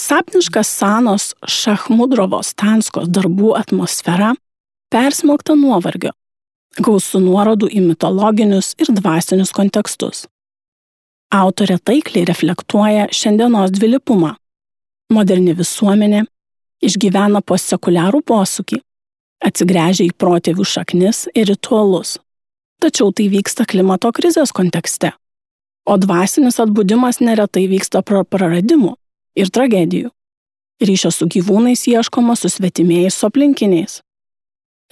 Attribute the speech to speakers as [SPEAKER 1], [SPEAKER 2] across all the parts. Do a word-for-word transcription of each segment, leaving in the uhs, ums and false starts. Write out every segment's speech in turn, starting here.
[SPEAKER 1] Sapniška Sanos Šachmudrovos Tanskos darbų atmosfera persmelkta nuovargio, gausu nuorodų į mitologinius ir dvasinius kontekstus. Autorė taikliai reflektuoja šiandienos dvilypumą. Moderni visuomenė išgyvena postsekuliarų posūkį, atsigręžia į protėvių šaknis ir ritualus. Tačiau tai vyksta klimato krizės kontekste, o dvasinis atbudimas neretai vyksta pro praradimų ir tragedijų. Ryšio su gyvūnais ieškoma susvetimėjus su aplinkiniais.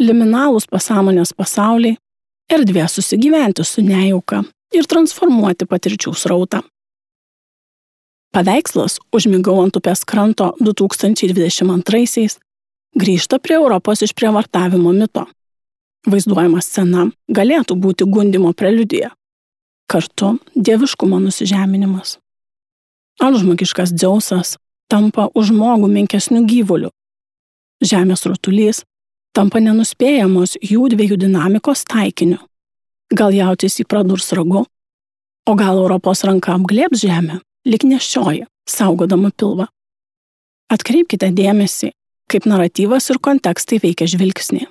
[SPEAKER 1] Liminalūs pasąmonės pasauliai, erdvė susigyventi su nejauka ir transformuoti patirčių srautą. Paveikslas Užmigau ant upės kranto du tūkstančiai dvidešimt antraisiais grįžta prie Europos išprievartavimo mito. Vaizduojama scena galėtų būti gundymo preliudija, kartu dieviškumo nusižeminimas. Antžmogiškas Dzeusas tampa už žmogų menkesnių gyvulių. Žemės rutulys tampa nenuspėjamos jų dviejų dinamikos taikiniu. Gal jautis į pradurs ragu, o gal Europos ranka apglėbs žemę, lyg nešioja, saugodama pilvą. Atkreipkite dėmesį, kaip naratyvas ir kontekstai veikia žvilgsnį.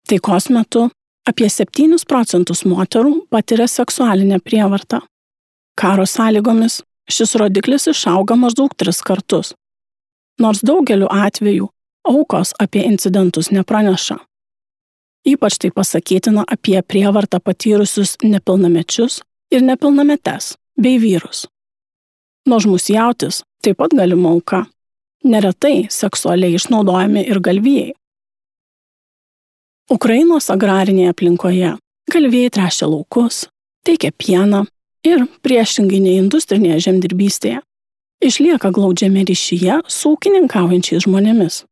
[SPEAKER 1] Taikos metu apie septynis procentus moterų patiria seksualinę prievartą. Karo sąlygomis šis rodiklis išauga maždaug tris kartus. Nors daugeliu atveju aukos apie incidentus nepraneša. Ypač tai pasakytina apie prievartą patyrusius nepilnamečius ir nepilnametes bei vyrus. Nuožmus jautis taip pat galima auka. Neretai seksualiai išnaudojami ir galvijai. Ukrainos agrarinėje aplinkoje galvijai tręšia laukus, teikia pieną ir, priešingai nei industrinėje žemdirbystėje, išlieka glaudžiame ryšyje su ūkininkaujančiais žmonėmis.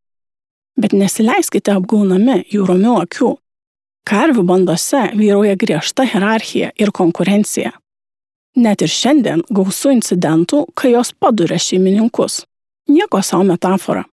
[SPEAKER 1] Bet nesileiskite apgaunami jų romių akių. Karvių bandose vyrauja griežta hierarchija ir konkurencija. Net ir šiandien gausu incidentų, kai jos paduria šeimininkus. Nieko savo metafora.